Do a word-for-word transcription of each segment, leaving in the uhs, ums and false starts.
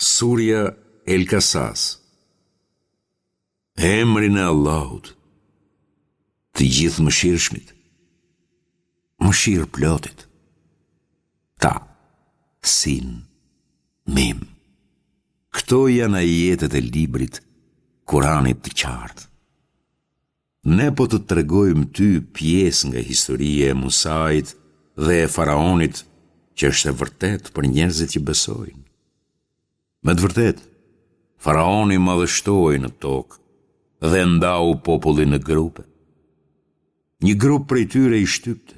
Surja El Kasas Emrin e Allahut Të Gjithëmëshirshmit Mëshirëplotit Ta Sin Mim Këto janë ajetet e librit Kuranit të qartë Ne po të tregojmë ty pjesë nga historia e Musait dhe e Faraonit, që është e vërtetë për njerëzit që besojnë. Me të vërtetë, Faraoni madhështoi në tokë dhe ndau popullin në grupe. Një grup prej tyre i shtypte.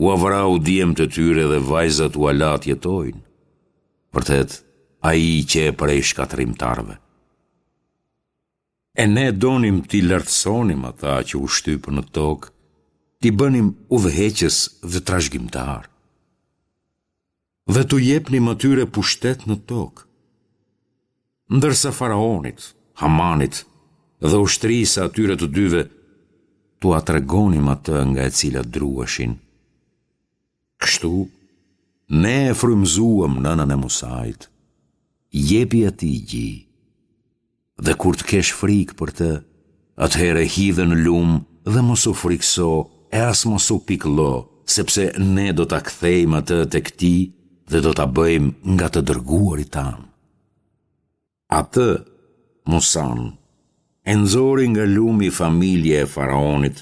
Ua vrau djemtë e tyre dhe vajzat ua la të jetojnë. Vërtet, ai qe prej shkatërrimtarëve. E ne donim t'i lartësonim ata që u shtypën në tokë, t'i bënim udhëheqës dhe trashëgimtarë. Dhe t'u jepnim atyre pushtet në tokë. Ndërsa faraonit, Hamanit dhe ushtrisë së atyre të dyve, t'ua tregonim atë nga e cila druheshin. Kështu, ne e frymëzuam nënën e Musait, jepi atij gji. Dhe kur të kesh frikë për të, atëherë hidhe në lumë dhe mos u frikëso e as mos u pikëllo, sepse ne do ta kthejmë atë tek ti dhe do ta bëjmë nga të dërguarit tanë. Atë, Musanë, e nxori nga lumi familja e faraonit,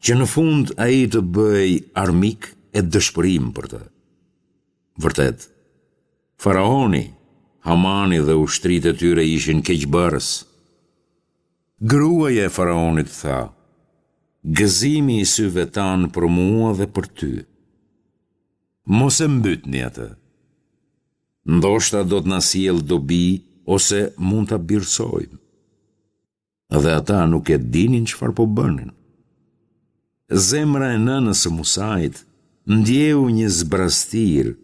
që në fund ai të bëhej armik e dëshpërim për të. Vërtet, Faraoni, Hamani dhe ushtritë e tyre ishin keqbërës. Gruaja e faraonit tha, Gëzimi i syve tanë për mua dhe për ty. Mos e mbytni atë. Ndoshta do të na sjellë dobi ose mund ta birësojmë. Dhe ata nuk e dinin çfarë po bënin. Zemra e nënës së Musait ndjeu një zbrazëtirë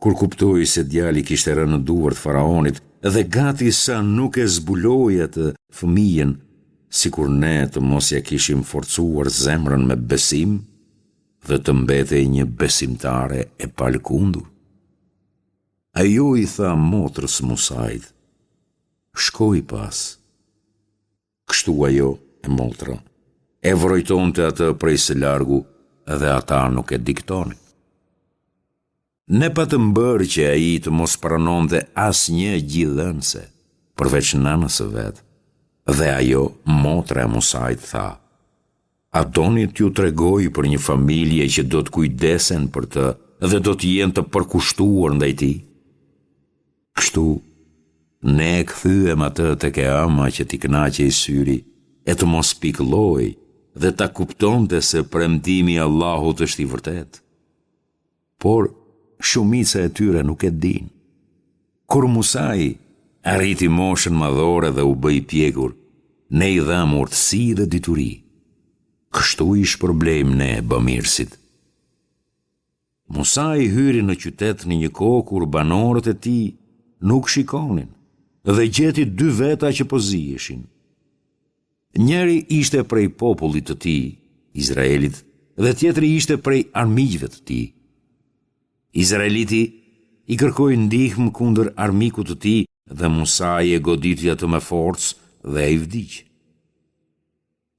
kur kuptoi se djali kishte rënë në duart e faraonit dhe gati sa nuk e zbuloi atë fëmijën, sikur ne të mos ia kishim forcuar zemrën me besim dhe të mbetej një besimtare e palëkundur. Ajo i tha motrës së Musait, Shkoji pas. Kështu ajo, e motra, e vrojtonte atë prej së largu dhe ata nuk e diktonin. Ne patëm bërë që ai të mos pranonte asnjë gjidhënëse, përveç nënës së vet. Dhe ajo, motra e Musait, tha, A doni t'ju tregoj për një familje që do të kujdesen për të dhe do të jenë të përkushtuar ndaj tij? Kështu, ne e kthyem atë tek e ëma që t'i kënaqej syri e të mos pikëllohej dhe ta kuptonte se premtimi i Allahut është i vërtetë. Por, shumica e tyre nuk e dinë. Kur Musai arriti moshën madhore dhe u bë i pjekur, ne i dhamë urtësi dhe dituri. Kështu i shpërblejmë ne bamirësit. Musai hyri në qytet në një kohë kur banorët e tij nuk shikonin dhe gjeti dy veta që po ziheshin. Njëri ishte prej popullit të tij, Izraelit, dhe tjetri ishte prej armiqve të tij. Izraeliti i kërkoi ndihmë kundër armikut të tij dhe Musai e goditi atë me forcë dhe ai vdiq.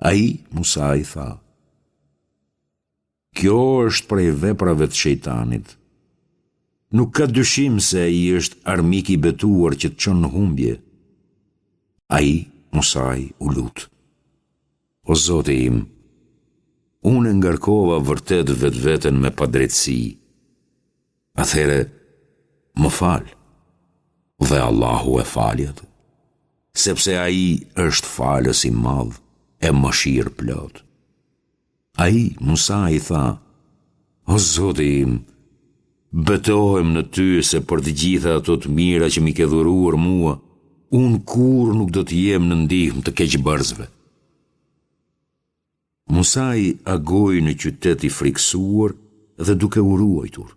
Ai, Musai, tha, Kjo është prej veprave të shejtanit. Nuk ka dyshim se ai është armik i betuar që të çon në humbje. Ai, Musai, u lut. O Zoti im, unë e ngarkova vërtet vetveten me padrejtësi. Atëherë, më fal. Dhe Allahu e fali atë, sepse ai është falës i madh e mëshirëplotë. Ai, Musai, tha, O Zoti im, betohem në ty se për të gjitha ato të mira që m'i ke dhuruar mua, unë kurrë nuk do të jem në ndihmë të keqbërësve. Musai agoi në qytet i frikësuar dhe duke u ruajtur.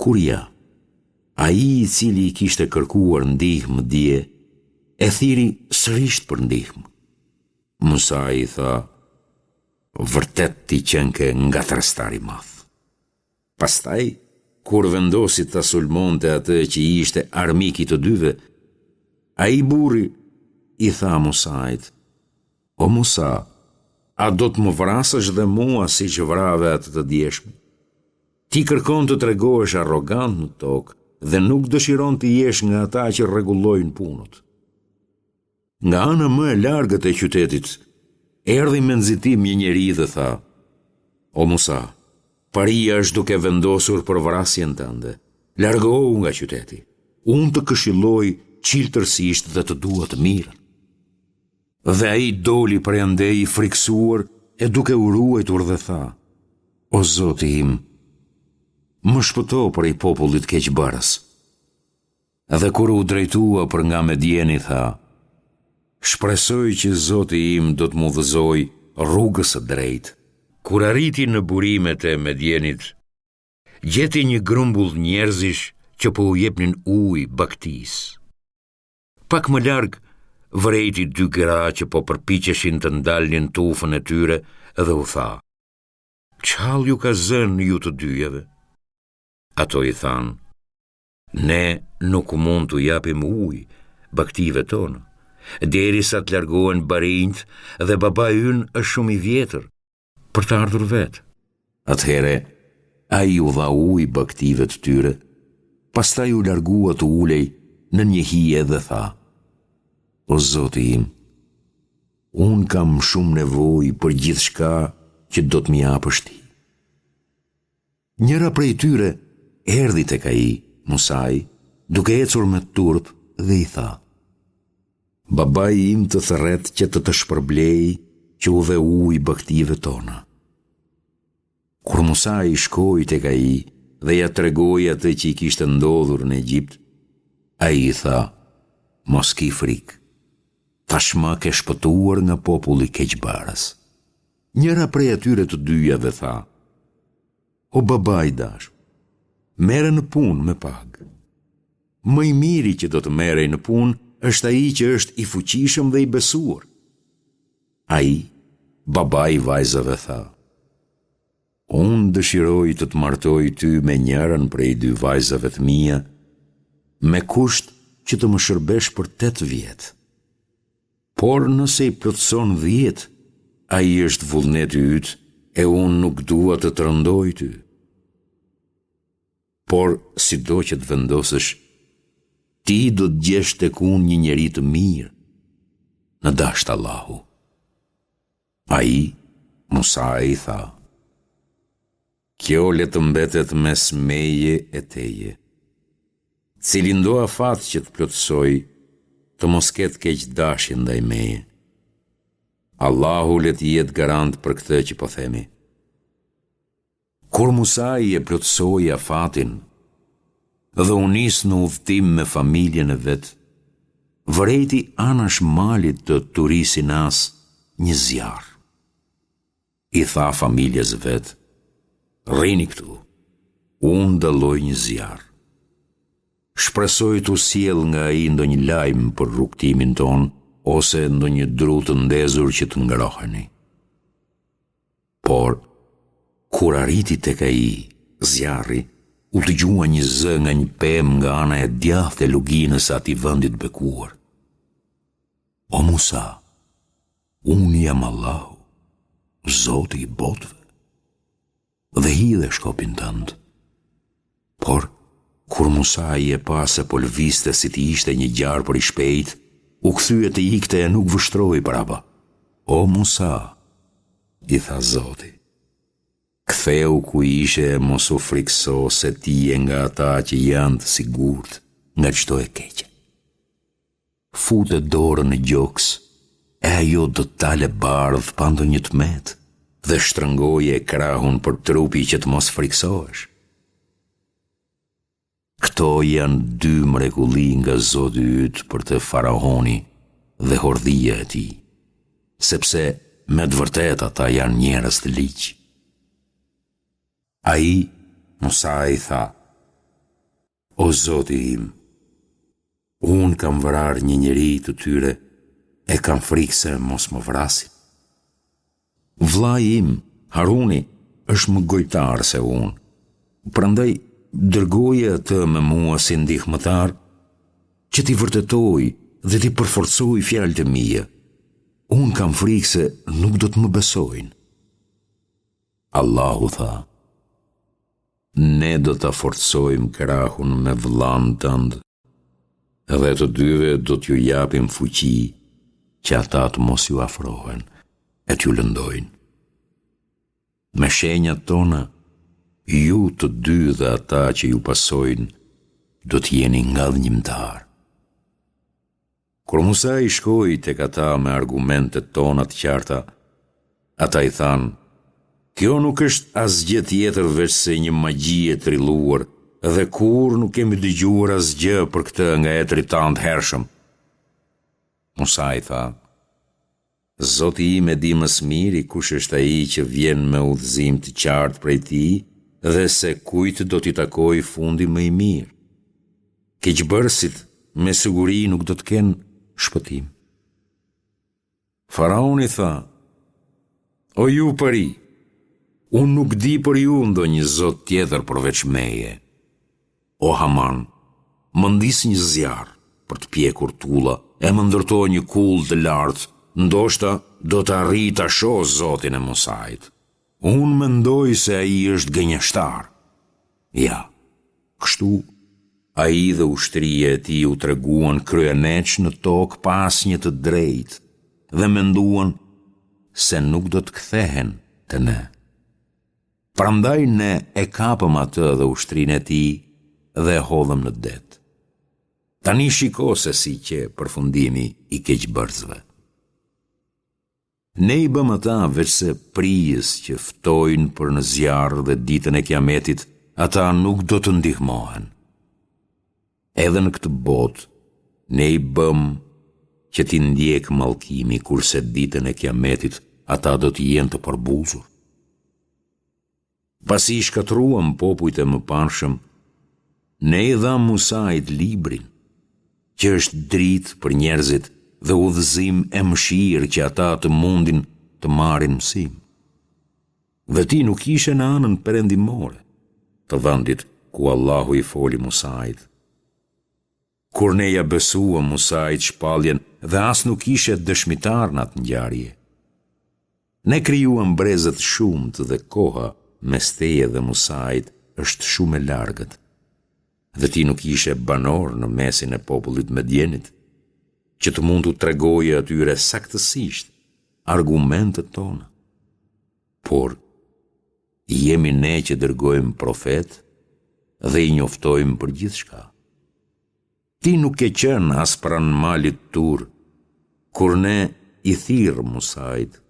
Kur ja, ai i cili i kishte kërkuar ndihmë dje, e thirri sërish për ndihmë. Musai i tha, Vërtet ti qenke ngatërrestar i madh. Pastaj kur vendosi ta sulmonte atë që ishte armik i të dyve, ai burri i tha Musait, O Musa, a do të më vrasësh dhe mua siç vrave atë të djeshmen? Ti kërkon të tregohesh arrogant në tokë dhe nuk dëshiron të jesh nga ata që rregullojnë punët. Nga ana më e largët e qytetit, erdhi me nxitim një njeri dhe tha, O Musa, paria është duke vendosur për vrasjen tënde, largohu nga qyteti, unë të këshilloj çiltërsisht dhe të dua të mirën. Dhe ai doli prej andej i frikësuar e duke u ruajtur dhe tha, O Zoti im, më shpëto prej popullit keqbërës. Dhe kur u drejtua për nga Medjeni tha, Shpresoj që Zoti im do të më udhëzojë rrugës së drejtë. Kur arriti në burimet e Medjenit, gjeti një grumbull njerëzish që po u jepnin ujë bagëtisë. Pak më larg, vërejti dy gra që po përpiqeshin të ndalnin tufën e tyre dhe u tha, Ç'hall ju ka zënë ju të dyjave? Ato i thanë, Ne nuk mund t'u japim ujë bagëtive tona, derisa të largohen barinjtë dhe babai ynë është shumë i vjetër për të ardhur vetë. Atëherë ai u dha ujë bagëtive të tyre, pastaj u largua të ulej nën një hije dhe tha, O Zoti im, unë kam shumë nevojë për gjithçka që do të më japësh ti. Njëra prej tyre erdhi tek ai, Musai, duke ecur me turp dhe i tha, Babai im të thërret që të të shpërblejë që u dhe ujë bagëtive tona. Kur Musai shkoi tek ai dhe ia tregoi atë që i kishte ndodhur në Egjipt, ai i tha, Mos ki frikë, tashmë ke shpëtuar nga populli keqbërës. Njëra prej atyre të dyjave tha, O baba i dashur, merre në punë me pagë. Më i miri që do të merrej në punë është ai që është i fuqishëm dhe i besuar. Ai, babai i vajzave tha, Unë dëshiroj të të martoj ty me njërën prej dy vajzave të mia, me kusht që të më shërbesh për tetë vjet. Por nëse i plotëson dhjetë, ai është vullneti yt e unë nuk dua të të rëndoj ty. Por sido që të vendosësh, ti do të gjesh tek unë një njeri të mirë, në dashtë Allahu. Ai, Musai i tha, Kjo le të mbetet mes meje e teje. Cilindo afat që të plotësoj, të mos ketë keqdashje ndaj meje. Allahu le të jetë garant për këtë që po themi. Kur Musai e plotësoi afatin dhe u nis në udhëtim me familjen e vet, vërejti anash malit të Turi Sinas një zjarr. I tha familjes vet, Rrini këtu, unë dalloj një zjarr. Shpresoj t'u sjell nga ai ndonjë lajm për rrugëtimin tonë ose ndonjë dru të ndezur që të ngroheni. Por, kur arriti tek ai zjarri, u dëgjua një zë nga një pemë nga ana e djathtë e luginës së atij vendi të bekuar. O Musa, unë jam Allahu, Zoti i botëve. Dhe hidhe shkopin tënd. Por, kur Musai e pa se po lëvizte si të ishte një gjarpër i shpejtë, u kthye të ikte e nuk vështroi prapa. O Musa, i tha Zoti, kthehu ku ishe e mos u frikëso se ti je nga ata që janë të sigurt nga çdo e keqe. Fute dorën në gjoks, e ajo do të dalë e bardhë pa ndonjë të metë dhe shtrëngoje krahun për trupi që të mos frikësohesh. Këto janë dy mrekulli nga Zoti yt për të faraoni dhe hordhia e tij, sepse me të vërtetë ata janë njerëz të ligj. Ai, Musai tha, O Zoti im, unë kam vrarë një njeri të tyre e kam frikë se mos më vrasin. Vëllai im, Haruni, është më gojëtar se unë, prandaj Dërgoje atë me mua si ndihmëtar, që t'i vërtetojë dhe t'i përforcojë fjalët e mia. Unë kam frikë se nuk do të më besojnë. Allahu tha, Ne do ta forcojmë krahun me vëllanë tënd dhe të dyve do t'ju japim fuqi që ata të mos ju afrohen e t'ju lëndojnë. Me shenjat tona, ju të dy dhe ata që ju pasojnë do të jeni ngadhënjimtarë. Kur Musai shkoi tek ata me argumentet tona të qarta, ata i thanë, Kjo nuk është asgjë tjetër veçse një magji e trilluar dhe kurrë nuk kemi dëgjuar asgjë për këtë nga etërit tanë të hershëm. Musai tha, Zoti im e di më së miri kush është ai që vjen me udhëzim të qartë prej tij dhe se kujt do t'i takojë fundi më i mirë. Keqbërësit me siguri nuk do të kenë shpëtim. Faraoni tha, O ju pari, unë nuk di për ju ndonjë zot tjetër përveç meje. O Haman, më ndiz një zjarr për të pjekur tulla e më ndërto një kullë të lartë, ndoshta do të arrij ta shoh Zotin e Musait. Unë mendoj se ai është gënjeshtar. Ja, kështu ai dhe ushtria e tij u treguan kryeneç në tokë pa asnjë të drejtë dhe menduan se nuk do të kthehen te ne. Prandaj ne e kapëm atë dhe ushtrinë e tij dhe e hodhëm në det. Tani shiko se si qe përfundimi i keqbërësve. Ne i bëmë ata veçse prijës që ftojnë për në zjarr dhe ditën e Kiametit ata nuk do të ndihmohen. Edhe në këtë botë ne i bëmë që t'i ndjekë mallkimi kurse ditën e Kiametit ata do të jenë të përbuzur. Pasi i shkatërruam popujt e mëparshëm, ne i dhamë Musait librin, që është dritë për njerëzit dhe udhëzim e mëshirë që ata të mundin të marrin mësim. Dhe ti nuk ishe në anën perëndimore të vendit ku Allahu i foli Musait. Kur ne ia besuam Musait shpalljen dhe as nuk ishe dëshmitar në atë ngjarje. Ne krijuam breza të shumtë dhe koha mes teje dhe Musait është shumë e largët. Dhe ti nuk ishe banor në mesin e popullit të Medjenit, që të mund t'u tregoje atyre saktësisht argumentet tona. Por, jemi ne që dërgojmë profetë dhe i njoftojmë për gjithçka. Ti nuk ke qenë as pranë malit Tur, kur ne i thirrëm Musait,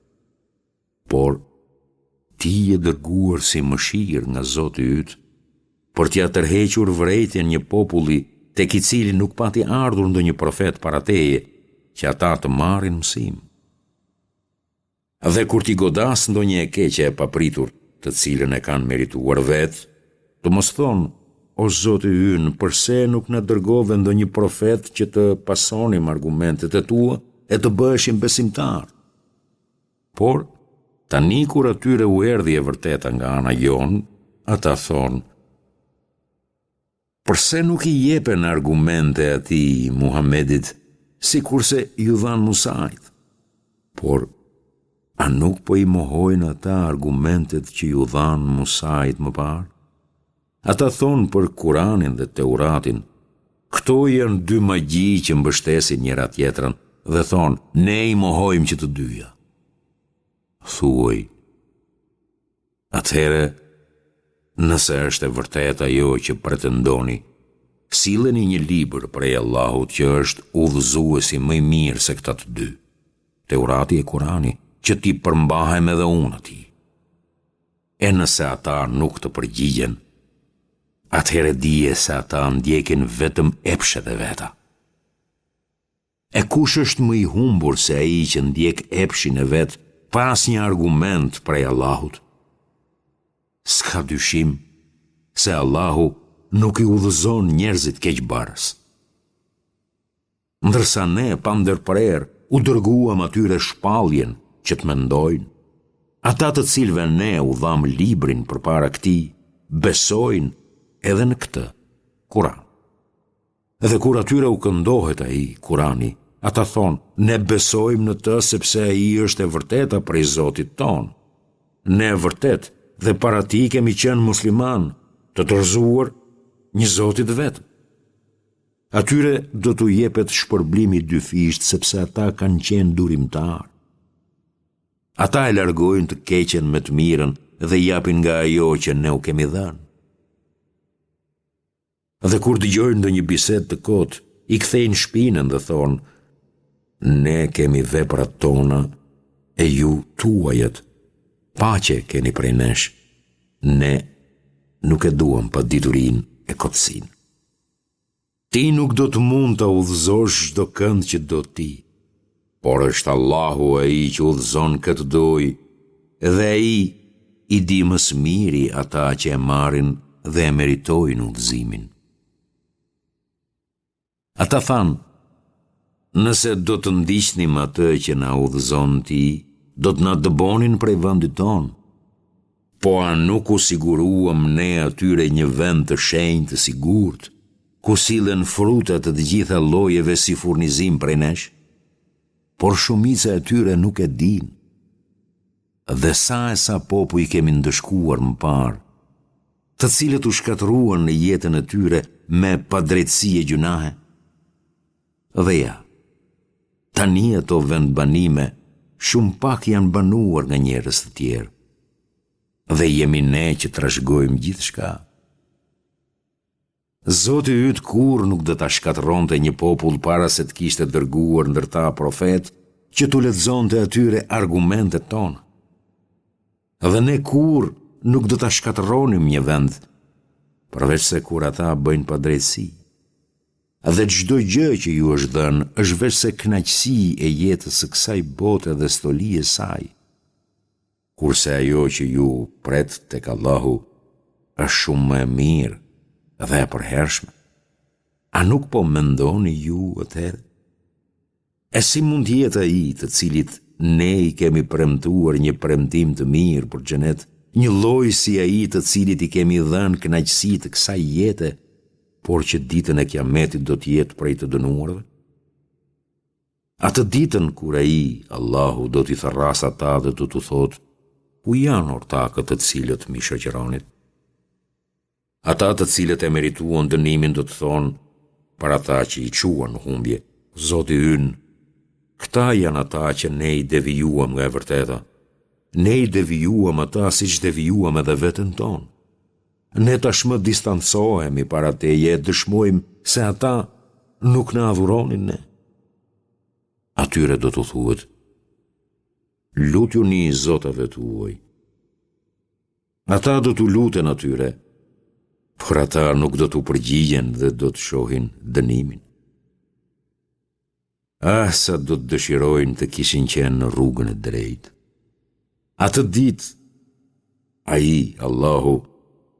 por ti je dërguar si mëshirë nga Zoti yt, për t'ia tërhequr vërejtjen një populli tek i cili nuk pati ardhur ndonjë profet para teje, që ata të marrin mësim. Dhe kur t'i godasë ndonjë e keqe e papritur, të cilën e kanë merituar vetë, të mos thonë, O Zoti ynë, përse nuk na dërgove ndonjë profet që të pasonim argumentet e tua e të bëheshim besimtarë? Por, tani kur atyre u erdhi e vërteta nga ana jonë, ata thonë, Përse nuk i jepen argumente atij, Muhamedit, sikurse iu dhanë Musait? Por, a nuk po i mohojnë ata argumentet që iu dhanë Musait më parë? Ata thonë për Kuranin dhe Teuratin, këto janë dy magji që mbështesin njëra-tjetrën dhe thonë, ne i mohojmë që të dyja. Thuaj, Atëherë, nëse është e vërtetë ajo që pretendoni, silleni një libër prej Allahut që është udhëzuesi më i mirë se këta të dy, Teurati e Kurani, që t'i përmbahem edhe unë atij. E nëse ata nuk të përgjigjen, atëherë dije se ata ndjekin vetëm epshet e veta. E kush është më i humbur se ai që ndjek epshin e vet pa asnjë argument prej Allahut? S'ka dyshim se Allahu nuk i udhëzon njerëzit keqbërës. Ndërsa ne pandërprerë u dërguam atyre shpalljen që të mendojnë, ata të cilëve ne u dhamë librin përpara këtij, besojnë edhe në këtë, Kuran. Dhe kur atyre u këndohet ai, Kurani, ata thonë, ne besojmë në të sepse ai është e vërteta prej Zotit tonë. Ne vërtet dhe para tij kemi qenë muslimanë, të dorëzuar një Zoti të vetëm. Atyre do t'u jepet shpërblim i dyfishtë sepse ata kanë qenë durimtarë. Ata e largojnë të keqen me të mirën dhe japin nga ajo që ne u kemi dhënë. Dhe kur dëgjojnë ndonjë bisedë të kotë, i kthejnë shpinën dhe thonë, ne kemi veprat tona e ju tuajat, paqe keni prej nesh, ne nuk e duam paditurinë e kotësinë. Ti nuk do të mund ta udhëzosh çdokënd që do ti, por është Allahu ai që udhëzon kë të dojë dhe ai i di më së miri ata që e marrin dhe e meritojnë udhëzimin. Ata thanë, nëse do të ndiqnim atë që na udhëzon ti, do të na dëbonin prej vendit tonë. Po a nuk u siguruam ne atyre një vend të shenjtë të sigurt, ku sillen fruta të të gjitha llojeve si furnizim prej nesh? Por shumica e tyre nuk e dinë. Dhe sa e sa popuj kemi ndëshkuar më parë, të cilët u shkatërruan në jetën e tyre me padrejtësi e gjynahe? Dhe ja, tani ato vendbanime shumë pak janë banuar nga njerëz të tjerë. Dhe jemi ne që trashëgojmë gjithçka. Zoti yt kurrë nuk do ta shkatërronte një popull para se të kishte dërguar ndër ta profetë që t'u lexonte atyre argumentet tona. Dhe ne kurrë nuk do ta shkatërronim një vend, përveçse kur ata bëjnë padrejtësi. Dhe çdo gjë që ju është dhënë është veçse kënaqësi e jetës së kësaj bote dhe stoli e saj. Kurse ajo që ju pret tek Allahu është shumë më e mirë dhe e përhershme. A nuk po mendoni ju atëherë? E si mund të jetë ai të cilit ne i kemi premtuar një premtim të mirë për xhenet, njëlloj si ai të cilit i kemi dhënë kënaqësi të kësaj jete, por që ditën e Kiametit do të jetë prej të dënuarve? Atë ditën kur ai, Allahu, do t'i thërrasë ata dhe do t'u thotë, ku janë ortakët të cilët m'i shoqëronit? Ata të cilët e merituan dënimin do të thonë për ata që i çuan në humbje, Zoti ynë, këta janë ata që ne i devijuam nga e vërteta. Ne i devijuam ata siç devijuam edhe veten tonë. Ne tashmë distancohemi para teje e dëshmojmë se ata nuk na adhuronin ne. Atyre do t'u thuhet, lutjuni zotave tuaj. Ata do t'u luten atyre, por ata nuk do t'u përgjigjen dhe do të shohin dënimin. Ah, sa do të dëshirojnë të kishin qenë në rrugën e drejtë. Atë ditë, ai, Allahu,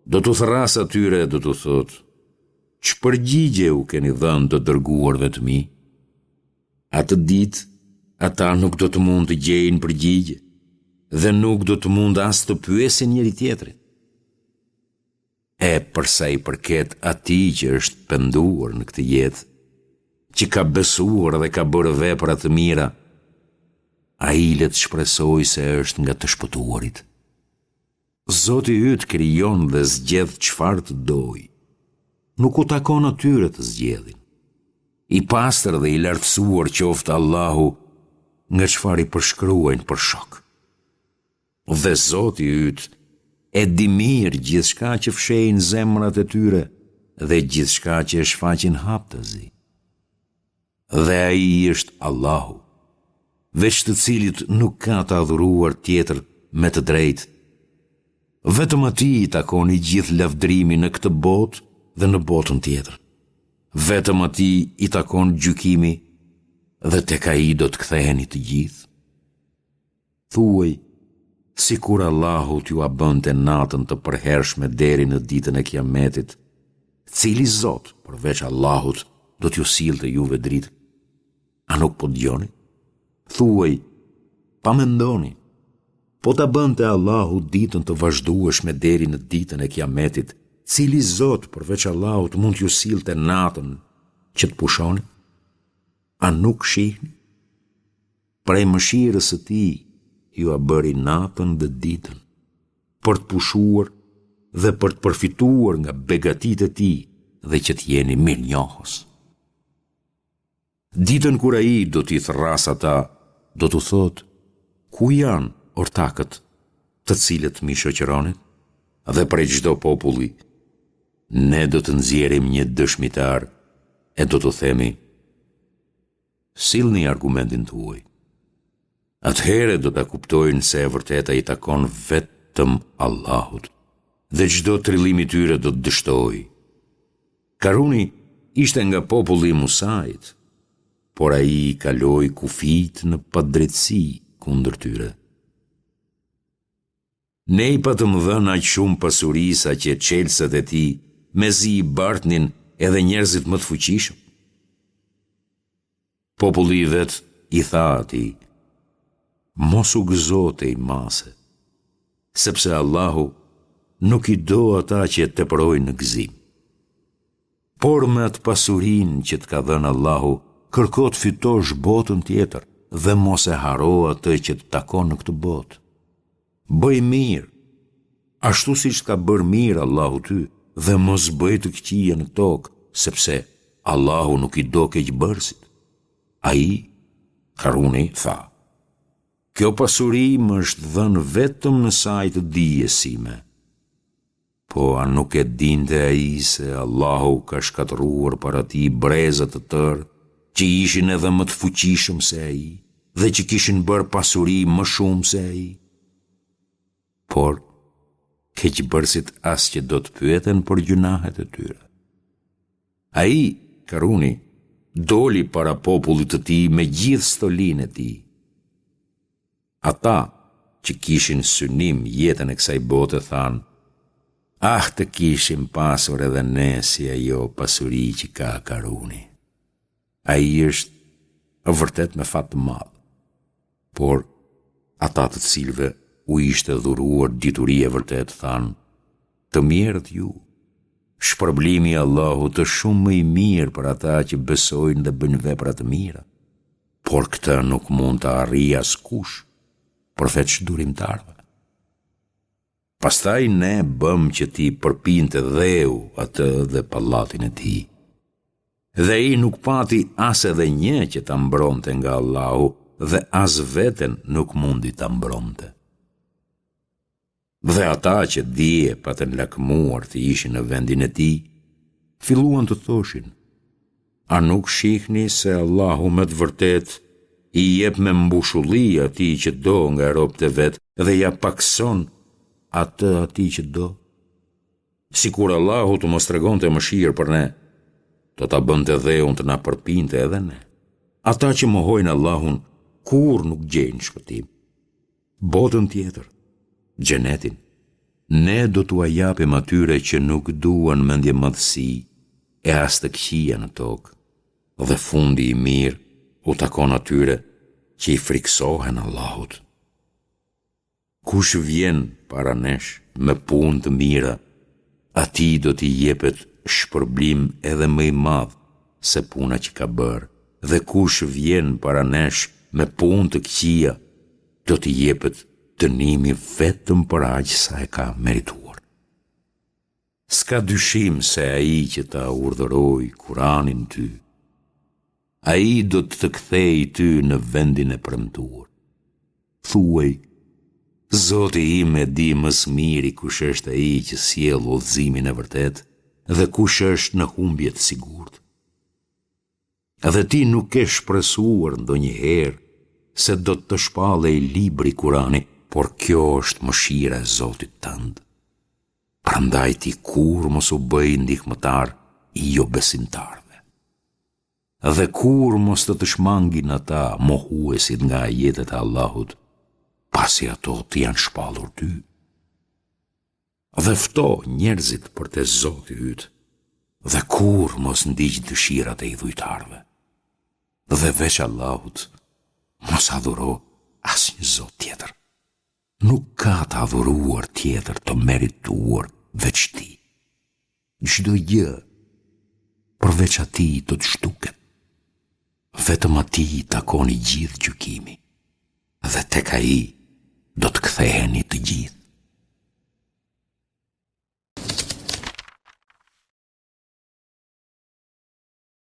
do t'u thërrasë atyre e do t'u thotë, ç'përgjigje u keni dhënë të dërguarve të mi? Atë ditë, ata nuk do të mund të gjejnë përgjigje dhe nuk do të mund as të pyesin njëri-tjetrin. E për sa i përket atij që është penduar në këtë jetë, që ka besuar dhe ka bërë vepra të mira, ai le të shpresojë se është nga të shpëtuarit. Zoti yt krijon dhe zgjedh çfarë të dojë. Nuk u takon atyre të zgjedhin. I pastër dhe i lartësuar qoftë Allahu nga çfarë i përshkruajnë për shok. Dhe Zoti yt e di mirë gjithçka që fshehin zemrat e tyre dhe gjithçka që e shfaqin haptazi. Dhe Ai është Allahu, veç të cilit nuk ka të adhuruar tjetër me të drejtë. Vetëm Atij i takon i gjithë lavdërimi në këtë botë dhe në botën tjetër. Vetëm Atij i takon gjykimi dhe tek Ai do të ktheheni të gjithë. Thuaj, sikur Allahu t'jua bënte natën të përhershme deri në ditën e Kiametit, cili Zot përveç Allahut do t'ju sillte juve dritën? A nuk po dëgjoni? Thuaj, pa mendoni, po ta bënte Allahu ditën të vazhdueshme deri në ditën e Kiametit, cili zot përveç Allahut mund t'ju sillte natën që të pushoni? A nuk shihni? Prej mëshirës së tij jua bëri natën dhe ditën, për të pushuar dhe për të përfituar nga begatitë e tij dhe që të jeni mirënjohës. Ditën kur ai do t'i thërrasë ata, do t'u thotë, ku janë ortakët të cilët m'i shoqëronit? Dhe prej çdo populli, ne do të nxjerrim një dëshmitar e do t'u themi, sillni argumentin tuaj. Atëherë do ta kuptojnë se e vërteta i takon vetëm Allahut dhe çdo trillim i tyre do të dështojë. Karuni ishte nga populli i Musait, por ai i kaloi kufijtë në padrejtësi kundër tyre. Ne i patëm dhënë aq shumë pasuri sa që çelësat e tij mezi i bartnin edhe njerëzit më të fuqishëm. Populli i vet i tha atij, Mos u gëzo tej mase, sepse Allahu nuk i do ata që e teprojnë në gëzim. Por me atë pasurinë që të ka dhënë Allahu, kërko të fitosh botën tjetër dhe mos e harro atë që të takon në këtë botë. Bëj mirë, ashtu siç të ka bërë mirë Allahu ty, dhe mos bëj të këqija në tokë, sepse Allahu nuk i do keqbërësit. Ai, Karuni, tha, Kjo pasuri më është dhënë vetëm në sajë të dijes sime. Po a nuk e dinte ai se Allahu ka shkatërruar para tij breza të tërë që ishin edhe më të fuqishëm se ai dhe që kishin bërë pasuri më shumë se ai? Por, keqbërësit as që do të pyeten për gjynahet e tyre. Ai, Karuni, doli para popullit të tij me gjithë stolinë e tij. Ata, që kishin synim jetën e kësaj bote thanë, Ah të kishim pasur edhe ne si ajo pasuri që ka Karuni. Ai është vërtet me fat të madh. Por, ata të cilëve u ishte dhuruar dituria e vërtetë thanë, të mjerët ju, shpërblimi i Allahut është shumë më i mirë për ata që besojnë dhe bëjnë vepra të mira. Por këtë nuk mund ta arrijë askush, përveç durimtarëve. Pastaj ne bëmë që t'i përpinte dheu atë dhe pallatin e tij. Dhe ai nuk pati as edhe një që ta mbronte nga Allahu dhe as veten nuk mundi ta mbronte. Dhe ata që dje patën lakmuar të ishin në vendin e tij, filluan të thoshin, a nuk shihni se Allahu me të vërtetë i jep me mbushulli atij që do nga robët e vet dhe ia pakëson atë atij që do? Sikur Allahu të mos tregonte mëshirë për ne, do ta bënte dheun të na përpinte edhe ne. Ata që mohojnë Allahun kurrë nuk gjejnë shpëtim. Botën tjetër, xhenetin, ne do t'ua japim atyre që nuk duan mendjemadhësi e as të këqija në tokë, dhe fundi i mirë u takon atyre që i frikësohen Allahut. Kush vjen para nesh me punë të mira, atij do t'i jepet shpërblim edhe më i madh se puna që ka bërë, dhe kush vjen para nesh me punë të këqija, do t'i jepet dënimi vetëm për aq sa e ka merituar. S'ka dyshim se ai që ta urdhëroi Kuranin ty, ai do të të kthejë ty në vendin e premtuar. Thuaj, Zoti im e di më së miri kush është ai që sjell udhëzimin e vërtetë dhe kush është në humbje të sigurt. Dhe ti nuk ke shpresuar ndonjëherë se do të të shpallej libri Kurani, por kjo është mëshira e Zotit tënd. Prandaj ti kurrë mos u bëj ndihmëtar i jobesimtarëve. Dhe kurrë mos të të shmangin ata mohuesit nga ajetet e Allahut, pasi ato të janë shpallur ty. Dhe fto njerëzit për te Zoti yt, dhe kurrë mos ndiq dëshirat e idhujtarëve. Dhe veç Allahut, mos adhuro asnjë zot tjetër. Nuk ka të adhuruar tjetër të merituar veç tij. Çdo gjë përveç atij do të zhduket. Vetëm atij i takon i gjithë gjykimi dhe tek ai do të ktheheni të gjithë.